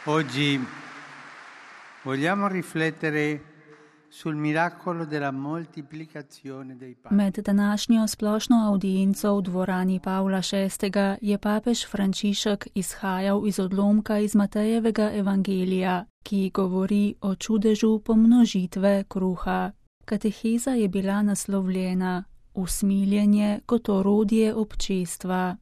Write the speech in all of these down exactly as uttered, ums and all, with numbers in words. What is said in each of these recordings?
Oggi vogliamo riflettere sul miracolo della moltiplicazione dei pani. Med današnjo splošno audienco v dvorani Pavla šestega. je papež Frančišek izhajal iz odlomka iz Matejevega evangelija, ki govori o čudežu pomnožitve kruha. Kateheza je bila naslovljena Usmiljenje kot orodje občestva.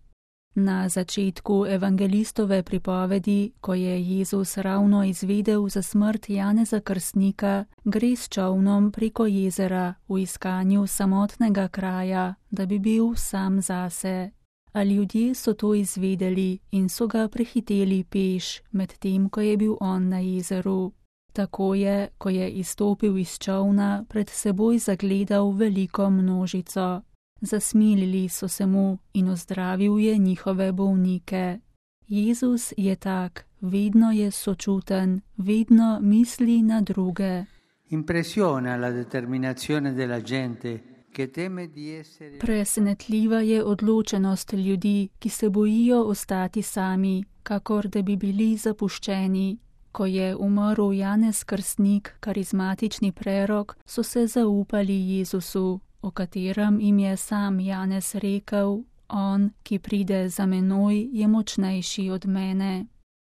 Na začetku evangelistove pripovedi, ko je Jezus ravno izvedel za smrt Janeza Krstnika, gre s čolnom preko jezera v iskanju samotnega kraja, da bi bil sam zase. A ljudje so to izvedeli in so ga prehiteli peš, medtem ko je bil on na jezeru. Tako je, ko je izstopil iz čolna, pred seboj zagledal veliko množico. Zasmilili so se mu in ozdravil je njihove bolnike. Jezus je tak, vedno je sočuten, vedno misli na druge. Impressiona la determinazione della gente che teme di essere... Presenetljiva je odločenost ljudi, ki se bojijo ostati sami, kakor da bi bili zapuščeni. Ko je umrl Janez Krstnik, karizmatični prerok, so se zaupali Jezusu, o katerem jim je sam Janez rekel: on, ki pride za menoj, je močnejši od mene.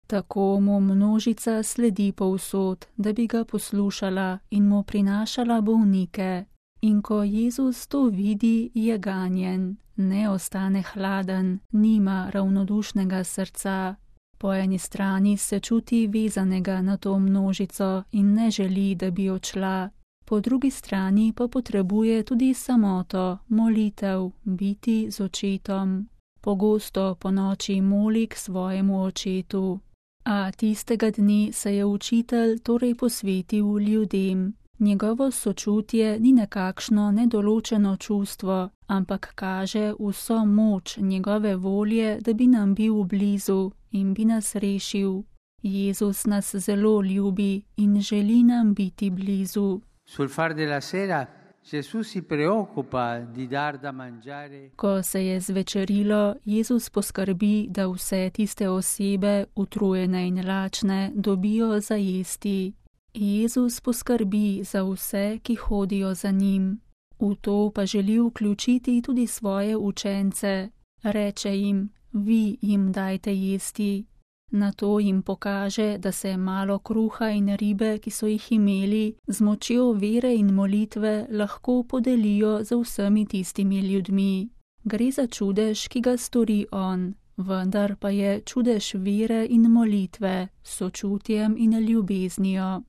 Tako mu množica sledi povsod, da bi ga poslušala in mu prinašala bolnike. In ko Jezus to vidi, je ganjen, ne ostane hladen, nima ravnodušnega srca. Po eni strani se čuti vezanega na to množico in ne želi, da bi odšla. Po drugi strani pa potrebuje tudi samoto, molitev, biti z očetom. Pogosto po noči moli k svojemu očetu. A tistega dni se je učitelj torej posvetil ljudem. Njegovo sočutje ni nekakšno nedoločeno čustvo, ampak kaže vso moč njegove volje, da bi nam bil blizu in bi nas rešil. Jezus nas zelo ljubi in želi nam biti blizu. Sul far della sera Gesù si preoccupa di dar da mangiare. Ko se je zvečerilo, Jezus poskrbi, da vse tiste osebe, utrujene in lačne, dobijo za jesti. Jezus poskrbi za vse, ki hodijo za njim. V to pa želi vključiti tudi svoje učence. Reče jim: vi jim dajte jesti. Nato jim pokaže, da se malo kruha in ribe, ki so jih imeli, z močjo vere in molitve lahko podelijo z vsemi tistimi ljudmi. Gre za čudež, ki ga stori on, vendar pa je čudež vere in molitve, s sočutjem in ljubeznijo.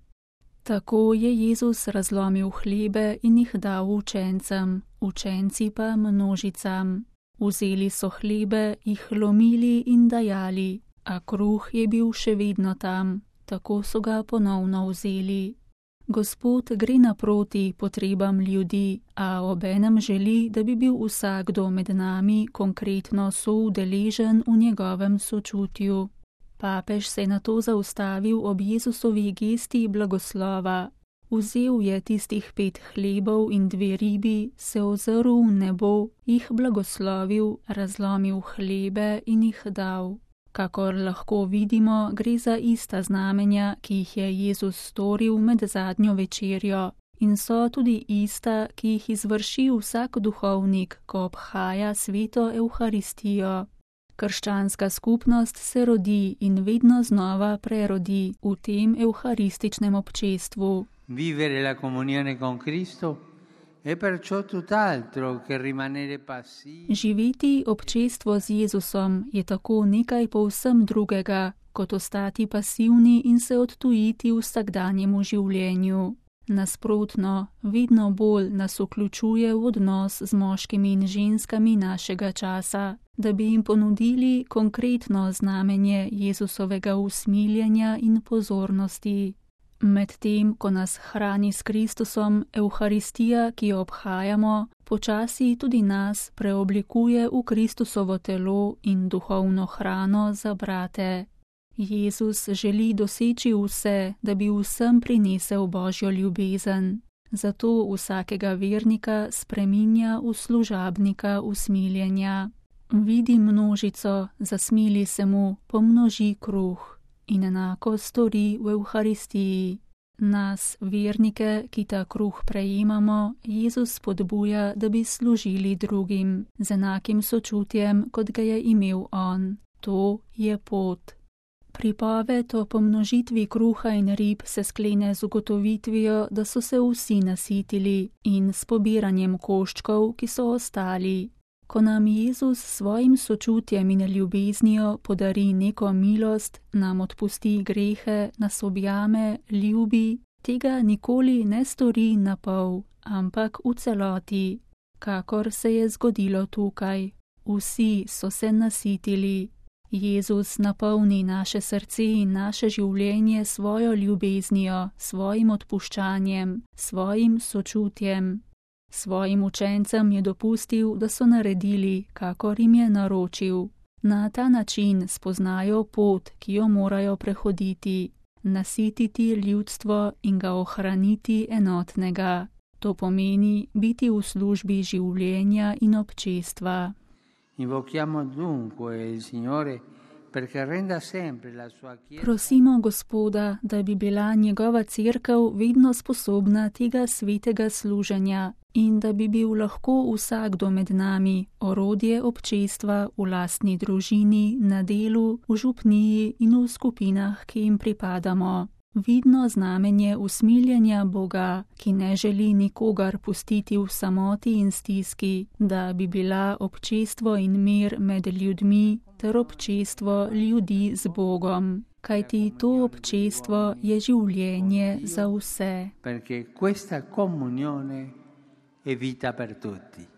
Tako je Jezus razlomil hlebe in jih dal učencem, učenci pa množicam. Vzeli so hlebe, jih lomili in dajali, a kruh je bil še vedno tam, tako so ga ponovno vzeli. Gospod gre naproti potrebam ljudi, a obenem želi, da bi bil vsakdo med nami konkretno soudeležen v njegovem sočutju. Papež se je nato zaustavil ob Jezusovi gesti blagoslova. Vzel je tistih pet hlebov in dve ribi, se ozrl v nebo, jih blagoslovil, razlomil hlebe in jih dal. Kakor lahko vidimo, gre za ista znamenja, ki jih je Jezus storil med zadnjo večerjo, in so tudi ista, ki jih izvrši vsak duhovnik, ko obhaja sveto Evharistijo. Krščanska skupnost se rodi in vedno znova prerodi v tem evharističnem občestvu. Vivere la comunione con Cristo è perciò tutt'altro che rimanere passivi. Živeti občestvo z Jezusom je tako nekaj povsem drugega, kot ostati pasivni in se odtujiti vsakdanjemu življenju. Nasprotno, vedno bolj nas vključuje v odnos z moškimi in ženskami našega časa, da bi jim ponudili konkretno znamenje Jezusovega usmiljenja in pozornosti. Medtem, ko nas hrani s Kristusom, Evharistija, ki jo obhajamo, počasi tudi nas preoblikuje v Kristusovo telo in duhovno hrano za brate. Jezus želi doseči vse, da bi vsem prinesel Božjo ljubezen. Zato vsakega vernika spreminja v služabnika usmiljenja. Vidi množico, zasmili se mu, pomnoži kruh. in enako stori v Evharistiji. Nas, vernike, ki ta kruh prejemamo, Jezus spodbuja, da bi služili drugim z enakim sočutjem, kot ga je imel on. To je pot. Pripoved o pomnožitvi kruha in rib se sklene z ugotovitvijo, da so se vsi nasitili, in s pobiranjem koščkov, ki so ostali. Ko nam Jezus s svojim sočutjem in ljubeznijo podari neko milost, nam odpusti grehe, nas objame, ljubi, tega nikoli ne stori na pol, ampak v celoti, kakor se je zgodilo tukaj. Vsi so se nasitili. Jezus napolni naše srce in naše življenje svojo ljubeznijo, svojim odpuščanjem, svojim sočutjem. Svojim učencem je dopustil, da so naredili, kakor jim je naročil. Na ta način spoznajo pot, ki jo morajo prehoditi, nasititi ljudstvo in ga ohraniti enotnega. To pomeni biti v službi življenja in občestva. Invochiamo dunque il Signore perché renda sempre la sua Chiesa. Prosimo Gospoda, da bi bila njegova cerkev vedno sposobna tega svetega služenja in da bi bil lahko vsakdo med nami orodje občestva v lastni družini, na delu, v župniji in v skupinah, ki jim pripadamo. Vidno znamenje usmiljenja Boga, ki ne želi nikogar pustiti v samoti in stiski, da bi bila občestvo in mir med ljudmi ter občestvo ljudi z Bogom. Kajti to občestvo je življenje za vse. Perché questa comunione è vita per tutti.